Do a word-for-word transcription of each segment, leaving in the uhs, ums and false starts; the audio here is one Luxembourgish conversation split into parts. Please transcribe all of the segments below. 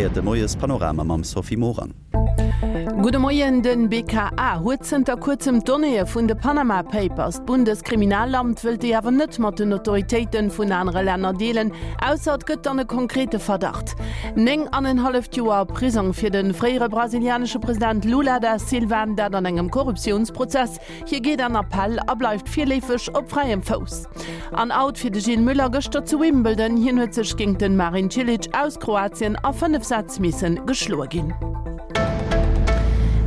gehéiert de Moiespanorama mam Sophie Morang. Gudde Moien, Den B K A huet zënter kuerzem d'Donnéeë vun de Panama Papers. D'Bundeskriminalamt wëllt déi awer net mat den Autoritéite vun anere Länner deelen, ausser et gëtt dann e konkrete Verdacht. Néng an en halleft Joer Prisong fir de fréiere brasilianesche President Lula da Silva, dat an engem Korruptiounsprozess. Hie geet an Appell a bleift virleefeg op fräiem Fouss. An Out fir de Gilles Müller gëschter zu Wimbledon, hien huet sech géint den Marin Cilic aus Kroatien a fënnef Sätz misse geschloe ginn.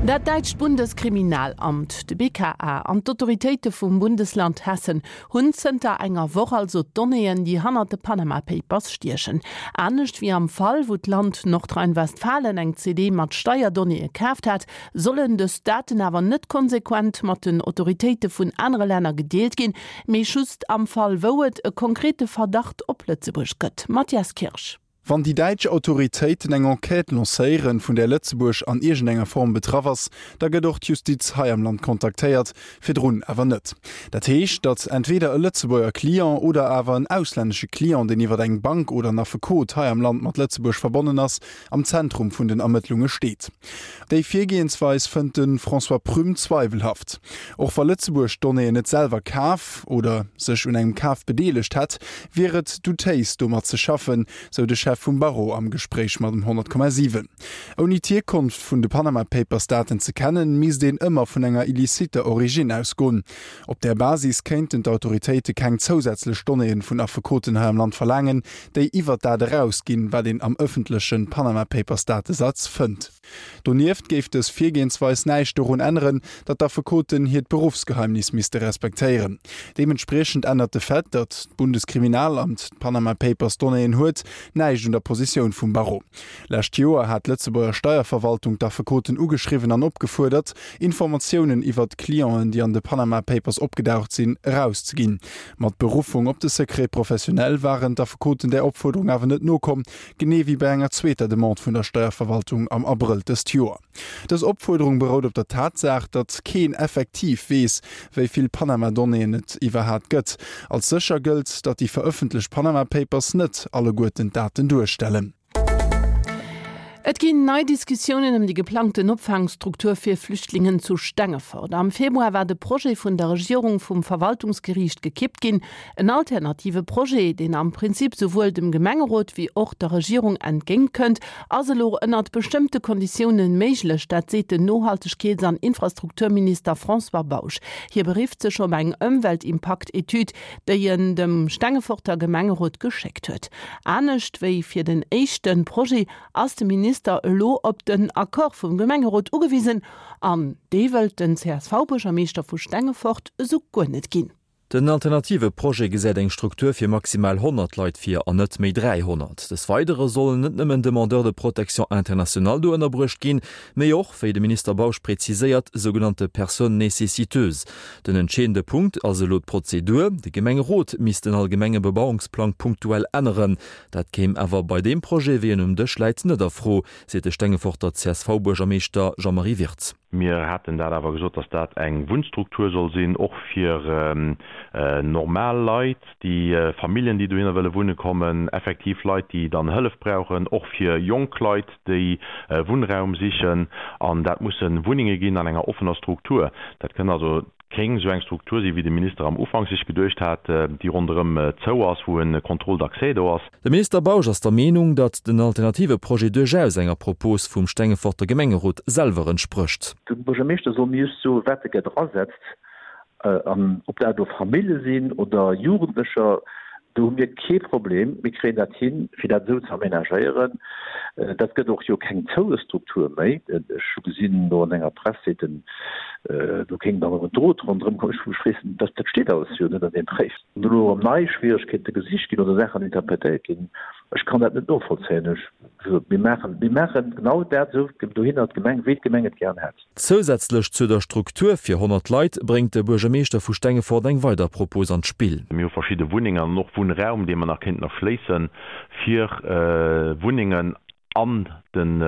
Dat däitscht Bundeskriminalamt, de B K A, an d'Autoritéite vum Bundesland Hessen hunn zënter enger Woch also d'Donnéeën, déi hannert de Panama Papers stiechen. Anescht wéi am Fall, wou d'Land Nordrhein-Westfalen eng C D mat Steierdonnéeë kaaft hat, sollen dës Daten awer net konsequent mat den Autoritéite vun anere Länner gedeelt ginn, mee just am Fall, wou et e konkrete Verdacht op Lëtzebuerg gëtt. Matthias Kirsch. Wann déi däitsch Autoritéiten eng Enquête lancéieren, vun där Lëtzebuerg an iergendenger Form betraff ass, da gëtt och d'Justiz hei am Land kontaktéiert, virdrun awer net. Dat heescht, datt entweder e Lëtzebuerger Client oder awer en auslännesche Client, deen iwwer eng Bank oder en Affekot hei am Land mat Lëtzebuerg verbonnen ass, am Zentrum vun den Ermëttlunge steet. Déi Virgehensweis fënnt de François Prüm zweiwelhaft. Och wa Lëtzebuerg d'Donnéeën net selwer kaf oder sech un engem Kaf bedeelegt hätt, wier et doutéis domat ze schaffen, sou de Chef vum Barreau am Gespréich mat dem honnert Komma siwen. Ouni d'Hierkonft vun de Panama Papers Daten ze kennen, misst een ëmmer vun enger illiciter Origine ausgoen. Op där Basis kéinten d'Autoritéite keng zousätzlech Donnéeën vun Affekoten hei am Land verlaangen, déi iwwer dat erausginn, wat een am ëffentleche Panama Papers Datesaz fënnt. Donieft géif dës Virgehensweis näischt dorun änneren, datt d'Affekoten hiert Beruffsgeheimnis misste respektéieren. Deementspriechend ännert de Fait, datt d'Bundeskriminalamt d'Panama Papers Donnéeën huet, näischt un der Positioun vum Barreau. Lescht Joer hat d'Lëtzebuerger Steierverwaltung d'Affekoten ugeschriwwen an opgefuerdert, Informatiounen iwwer d'Clienten, déi an de Panama Papers opgedaucht sinn, erauszeginn. Mat Beruffung op de Secret professionnel waren d'Affekoten der Opfuerderung awer net nokomm, genee wéi bei enger zweeter Demande vun der Steierverwaltung am Abrëll dëst Joer. Dës Opfuerderung berout op der Tatsaach, datt keen effektiv weess, wéi vill Panama-Donnéeën et iwwerhaapt gëtt. Als sécher gëllt, datt déi verëffentlecht Panama Papers net alleguerten d'Daten duerstellen. Et ginn nei Diskussiounen ëm déi geplangten Opfaangstruktur fir Flüchtlingen zu Stengefort. Am Februar war de Projet vun der Regierung vum Verwaltungsgeriicht gekippt ginn. En alternative Projet, deen am Prinzip souwuel dem Gemengerot wéi och der Regierung entgéintkënnt, ass elo ënnert bestëmmte Konditiounen méiglech, dat seet den Nohaltegkeets- an Infrastrukturminister François Bausch. Hie berifft sech op eng Ëmweltimpaktetüd, déi en dem Stengeforter Gemengerot geschéckt huet. Anescht wéi fir den éischte Projet ass de Minister elo op den Accord vum Gemengerot ugewisen an dee wëllt den C S V-Buergermeeschter vu Stengefort esou guer net ginn. Den alternative Projet gesäit eng Struktur fir maximal honnert Leit vir an net méi dräihonnert. Des Weidere sollen net nëmmen Demandeurs de protection internationale do ënnerbruecht ginn, mee och, wéi de Minister Bausch präziséiert, sougenannte Personnes nécessiteuses. Den entscheedende Punkt ass elo d'Prozedur, de Gemengerot misst den allgemenge Bebauungsplang punktuell änneren. Dat kéim awer bei deem Projet, wéi en um Dësch läit, net a Fro, seet de Stengeforter C S V-Buergermeeschter Jean-Marie Wirtz. Mir haten dat awer gesot, datt dat eng Wunnstruktur soll sinn, och fir äh, normal Leit, déi äh, Familljen, déi dohinner wëlle wunne kommen, effektiv Leit, déi dann Hëllef brauchen, och fir jonk Leit, déi äh, Wunnraum sichen an dat musse Wunnenge ginn an enger offener Struktur. Dat kënn also keng sou eng Struktur sinn, wéi de Minister am Ufank sech geduecht hat, äh, déi ronderëm äh, zou ass, wou e Contrôle d'accès do ass. De Minister Bausch ass der Meenung, datt den alternative Projet duerchaus enger Propos vum Stengeforter Gemengerot selwer entsprécht. De Buergermeeschter soll mir soen, wat e gär drasetzt, an ob dat do Famillje sinn oder Jugendlecher, do hu mir kee Problem, mir kréien dat hin, fir dat sou ze amenagéieren. Dat gëtt och jo keng zoue Struktur méi. Ech hu gesinn do an enger Press seet en, do kéint dann och en Drot ronderëm kommen. Ech weess, dat dat steet alles jo net an deem Bréif. Wann elo erëm nei Schwieregkeete gesicht ginn oder Saachen interpretéiert ginn, ech kann dat net novollzéien. Ech, mir maachen, mir maachen genau dat esou dohinner d'Gemeng, wéi d'Gemeng et gären hätt. Zousätzlech zu der Struktur fir honnert Leit bréngt de Buergermeeschter vu Stengefort eng weider Propos an d'Spill. Mir hu verschidde Wunnengen an och Wunnraum, dee mer nach kéinten erschléissen, fir Wunnengen an den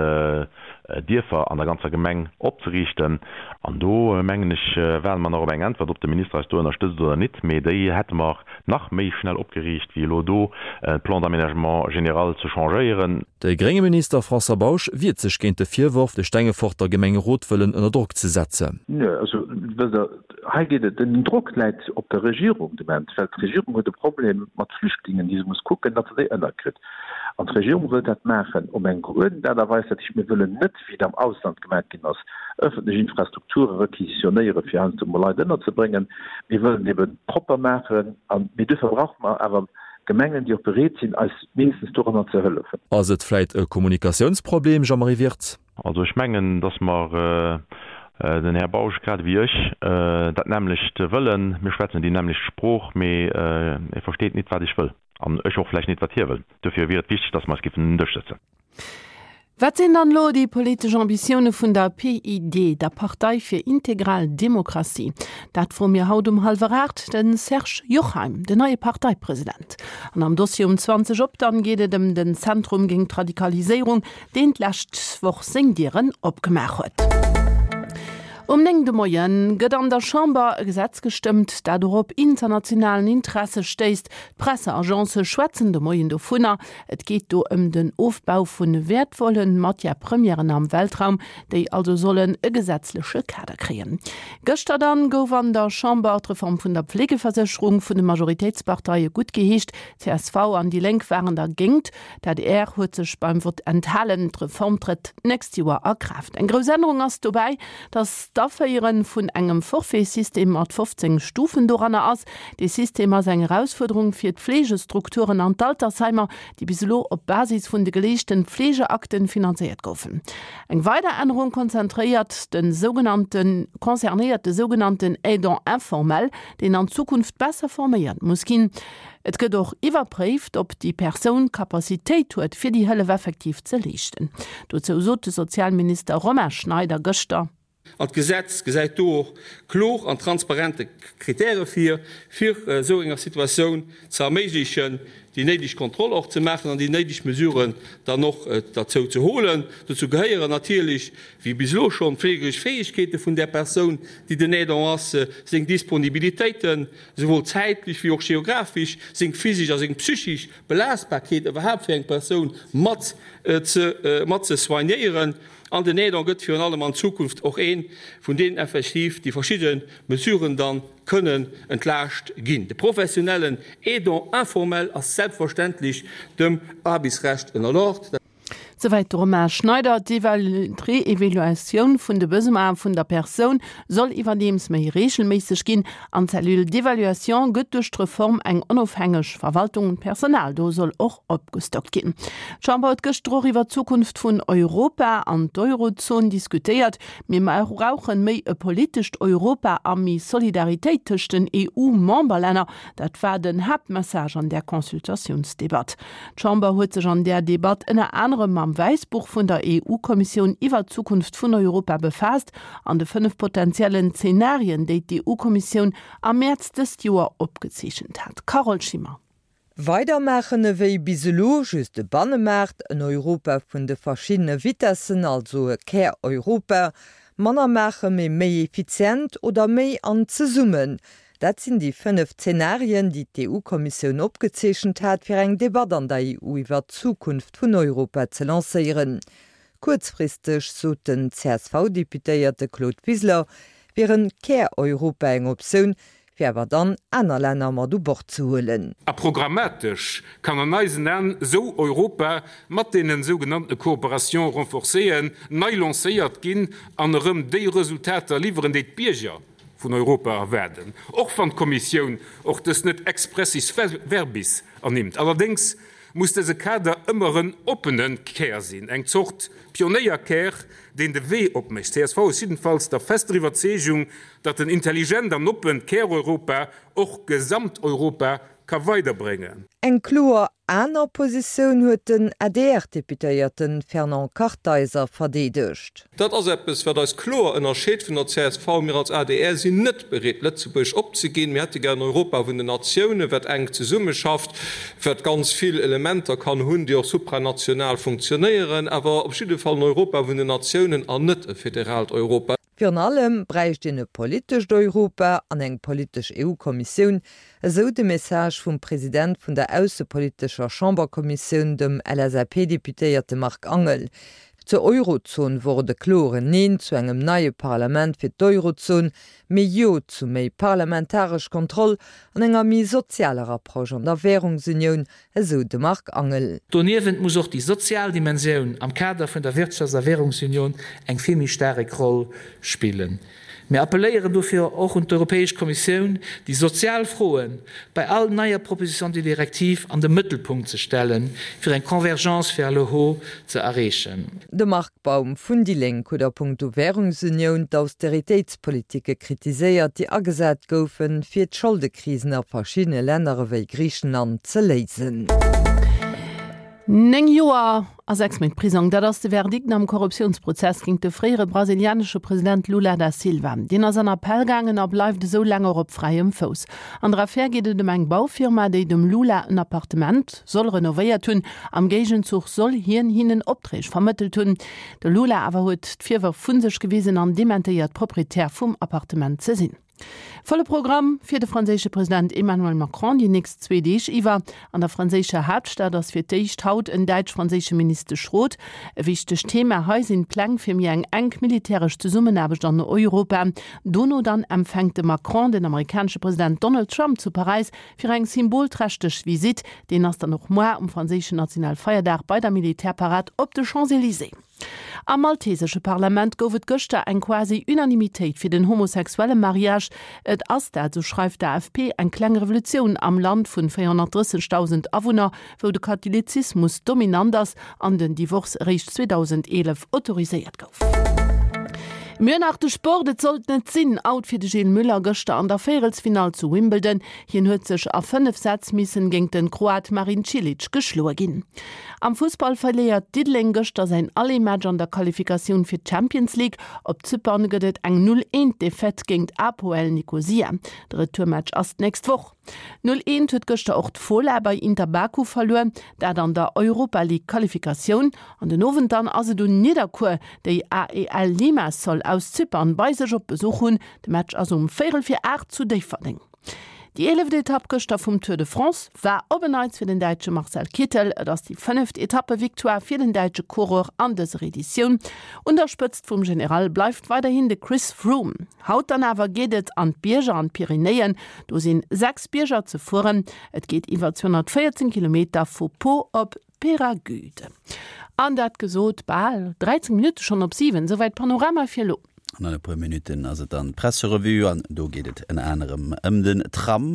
Dierfer an der ganzer Gemeng opzeriichten. An do, mengen ech, waarde mer nach op eng Äntwert, ob de Minister eis do ënnerstëtzt oder nit. Mee déi hätte mer nach méi schnell opgeriicht, wéi elo do de Plan d'aménagement général ze changéieren. De grénge Minister François Bausch wiert sech géint de Virworf, de Stengeforter Gemengerot wëllen ënner Drock ze setzen. Nö, also wësst Der, hei geet et, den Drock läit op der Regierung de Moment, well d'Regierung huet e Problem mat Flüchtlingen, déi se muss kucken, datt se déi ënnerkritt. An d'Regierung wëllt dat maachen op eng geuerdent Aart a Weis. Dat heescht, mir wëllen net, wéi et am Ausland gemaach ginn ass, ëffentlech Infrastrukture requisitionéieren, fir heiansdo emol Leit ënnerzebréngen. Mir wëllen et ebe propper maachen. A mee duerfir brauche mer awer Gemengen, déi och bereet sinn, eis mindestens doranner ze hëllefen. Ass et vläit e Kommunikatiounsproblem, Jean-Marie Wirtz? Also ech mengen, datt mer, den Här Bausch grad ewéi ech, dat nämmlecht wëllen. Mir schwätzen déi nämmlecht Sprooch, mee e versteet nit, wat ech wëll. An ech och vläicht nit, wat hie wëll. Dofir wier et wichteg, dass mer eis géifen un den Dësch sëtzen. Wat sinn dann elo déi politesch Ambitioune vun der P I D, der Partei fir integral Demokratie? Dat froe mir haut um hallwer aacht de Serge Jochheim, den neie Parteipresident. An am Dossier um zwanzeg op dann geet et ëm den Zentrum géint d'Radikaliséierung, deen d'lescht Woch seng Dieren opgemaach huet. Um néng de Moien gëtt an der Chamber e Gesetz gestëmmt, dat och op internationalen Interesse stéisst. D'Presseagencë schwätzen de Moien dovunner. Et geet do ëm den Ofbau vu wäertvolle Matière-premièren am Weltraum, déi also sollen e gesetzleche Kader kréien. Gëschter dann gouf an der Chamber d'Reform vun der Pflegeversécherung vun de Majoritéitsparteie guttgeheescht. Csv an déi Lénk waren dergéint. D'adr huet sech beim Vott enthalen. D'Reform trëtt d'nächst Joer a Kraaft. Eng grouss Ännerung ass dobäi, datt d'Aféiere vun engem Forfaitsystem mat fofzéng Stufen doranner ass. Dee System ass eng Erausfuerderung fir d'Fleegestrukturen an d'Altersheimer, déi bis elo op Basis vun de geleeschten Fleegeakten finanzéiert goufen. Eng weider Ännerung konzentréiert de sougenannte concernéiert de sougenannten Aidant informel, deen an Zukunft besser forméiert muss ginn. Et gëtt och iwwerpréift, ob déi Persoun d'Capacitéit huet, fir déi Hëllef effektiv ze leeschten. Dozou sot de Sozialminister Romain Schneider gëschter. An d'Gesetz gesäit do och kloer an transparente Kritäre vir, fir esou enger Situatioun ze erméiglechen, déi néideg Kontroll och ze maachen an déi néideg Mesuren dann och derzou ze holen. Dozou gehéieren natierlech, wéi bis elo schonn, d'fleegeresch Fäegkeete vun där Persoun, déi den Aidant ass, seng Disponibilitéiten, souwuel zäitlech wéi och geographesch, seng physesch a seng psychesch Belastbarkeet iwwerhaapt fir eng Persoun mat ze mat ze soignéieren. An den Aidant gëtt virun allem an Zukunft och ee vun deenen effektiv déi verschidde Mesuren da kënnen entlaascht ginn. De professionellen Aidant informel ass selbstverständlech dem Aarbechtsrecht ënnerlort. Souwäit de Romain Schneider. D'Reevaluatioun vun de Besoine vun der Persoun soll iwwerdeems méi reegelméisseg ginn. An d'Cellule d'évaluation gëtt duerch d'Reform eng onofhängeg Verwaltung. D'Personal do soll och opgestockt ginn. D'Chamber huet gëschter och iwwer d'Zukunft vun Europa an d'Eurozon diskutéiert. Mir brauchen méi e politescht Europa a méi Solidaritéit tëscht den E U Memberlänner. Dat war den Haaptmessage an där Consultatiounsdebatt. D'Chamber huet sech an där Debatt ënner anerem mam Wäissbuch vun der E U-Kommissioun iwwer d'Zukunft vun Europa befaasst an de fënnef potentiellen Zenarien, déi d'E U-Kommissioun am Mäerz dëst Joer opgezeechent hat. Carole Schimmer. Weidermaachen ewéi bis elo, just e Bannemaart, en Europa vun de verschiddene Vitessen, also e Kär-Europa, manner maache mee méi effizient oder méi an zesummen. Dat sinn déi fënnef Zenarien, déi d'E U-Kommissioun opgezeechent hat, fir eng Debatt an der E U iwwer d'Zukunft vun Europa ze lancéieren. Kuerzfristeg, sot den C S V-Deputéierte Claude Wiseler, wier en Kär-Europa eng Optioun, fir awer dann aner Länner mat u Bord ze huelen. A programmatesch kann an eisen Aen esou Europa mat deenen sougenannte Coopérations renforcéeën nei lancéiert ginn an erëm déi Resultater liwweren, déi d'Bierger vun Europa erwaarden, och wann d'Kommissioun och dës net expressis verbis ernimmt. Allerdéngs muss dëse Kader ëmmer en oppene Kär sinn, eng Zort Pionéierkär, deen de Wee opmécht. Csv ass jiddenfalls der fester Iwwerzeegung, datt en intelligent an oppent Käreuropa och Gesamteuropa ka weiderbréngen. Eng kloer aner Positioun huet den A D R-Deputéierte Fernand Kartheiser verdeedegt. Dat ass eppes, wat eis kloer ënnerscheet vun der C S V. Mir als A D R sinn net bereet, Lëtzebuerg opzeginn. Mir hätte gär en Europa vun den Natiounen, wat enk zesummeschafft, wat ganz vill Elementer kann hunn, déi och supranational funktionéieren, awer op jidde Fall en Europa vun den Natiounen an net e federaalt Europa. Virun allem bräicht een e politescht Europa an eng politesch E U-Kommissioun, esou de Message vum President vun der aussepolitescher Chamberkommissioun, dem L S A P-Deputéierte Marc Angel. Zur Eurozon wor et e kloren Neen zu engem neie Parlament fir d'Eurozon, mee Jo zu méi parlamentaresch Kontroll an enger méi sozialer Approche an der Wärungsunioun, esou de Marc Angel. Doniewent muss och déi sozial Dimensioun am Kader vun der Wirtschafts a Währungsunioun eng vill méi staark Roll spillen. Mir appelléieren dofir och un d'Europäesch Kommissioun, déi sozial Froen bei all neier Proposition de directive an de Mëttelpunkt ze stellen, fir eng Convergence vers le haut ze erreechen. De Marc Baum vun déi Lénk huet a punkto Währungsunioun d'Austeritéitspolitike kritiséiert, déi agesat goufen, fir d'Scholdekrisen a verschiddene Länner ewéi Griichenland ze léisen. Néng Joer a sechs Méint Prisong, dat ass de Verdikt am Korruptiounsprozess géint de fréiere brasilianesche President Lula da Silva. Deen ass an Appell gaangen a bleift esou laang och op fräiem Fouss. An der Affär geet et ëm eng Baufirma, déi dem Lula en Appartement soll renovéiert hunn. Am Géigenzuch soll hien hinnen Opträg vermëttelt hunn. De Lula awer huet d'Virwërf vu sech gewisen an dementéiert, Proprietär vum Appartement ze sinn. Volle Programm fir de franséische President Emmanuel Macron déi nächst zwee Deeg iwwer. An der franséischer Haaptstad ass fir d'éischt haut en däitsch-franséische Ministeschrot. E wichtegt Thema hei sinn d'Pläng fir méi eng enk militäresch Zesummenaarbecht an Europa. Dono dann empfänkt de Macron den amerikanesche President Donald Trump zu Paräis fir eng symbolträchteg Visitt. Deen ass dann och muer um franséischen Nationalfeierdag bei der Militärparad op de Champs-Élysées. Am maltesesche Parlament gouf et gëschter eng quasi Unanimitéit fir den homosexuelle Mariage. Et ass dat, sou schreift d'A F P, eng kleng Revolutioun am Land vun véierhonnertdrëssegdausend Awunner, wou de Katholizismus dominant ass an den Divorce eréischt zweedausendeelef autoriséiert gouf. Mir hunn nach de Sport, Et sollt net sinn, Out fir de Gilles Müller gëschter an der Véierelsfinall zu Wimbledon. Hien huet sech a fënnef Sätz missen géint de Kroat Marin Cilic geschloe ginn. Am Fussball verléiert Diddeleng gëschter säin Aller-Match an der Qualifikatioun fir d'Champions League. Op Zypern gëtt et eng Null Eent Defaite géint APOEL Nikosia. De Retourmatch ass d'nächst Woch. Null Eent huet gëschter och d'Fola bei Inter Baku verluer, dat an der Europa League Qualifikatioun. An den Owend dann ass et un Nidderkuer, déi A E L Limassol aus Zypern bei sech op Besuch hunn. De Match ass um véierel vir aacht zu Déifferdeng. Déi eeleft Etapp gëschter vum Tour de France war op en Neits fir den Däitsche Marcel Kittel. Et ass déi fënneft Etappevictoire fir den däitsche Coureur an dëser Editioun. Un der Spëtzt vum General bleift weiderhin de Chris Froome. Haut dann awer geet et an d'Bierger an d'Pyrenäen. Do sinn sechs Bierger ze fueren. Et geet iwwer zweehonnertvéierzéng Kilometer vu Pau op Peyragudes. An dat gesot, bal dräizéng Minutte schonn op siwen, souwäit Panorama fir elo. An e puer Minutten ass et dann d'Presserevue an do geet et ënner anerem ëm den Tram.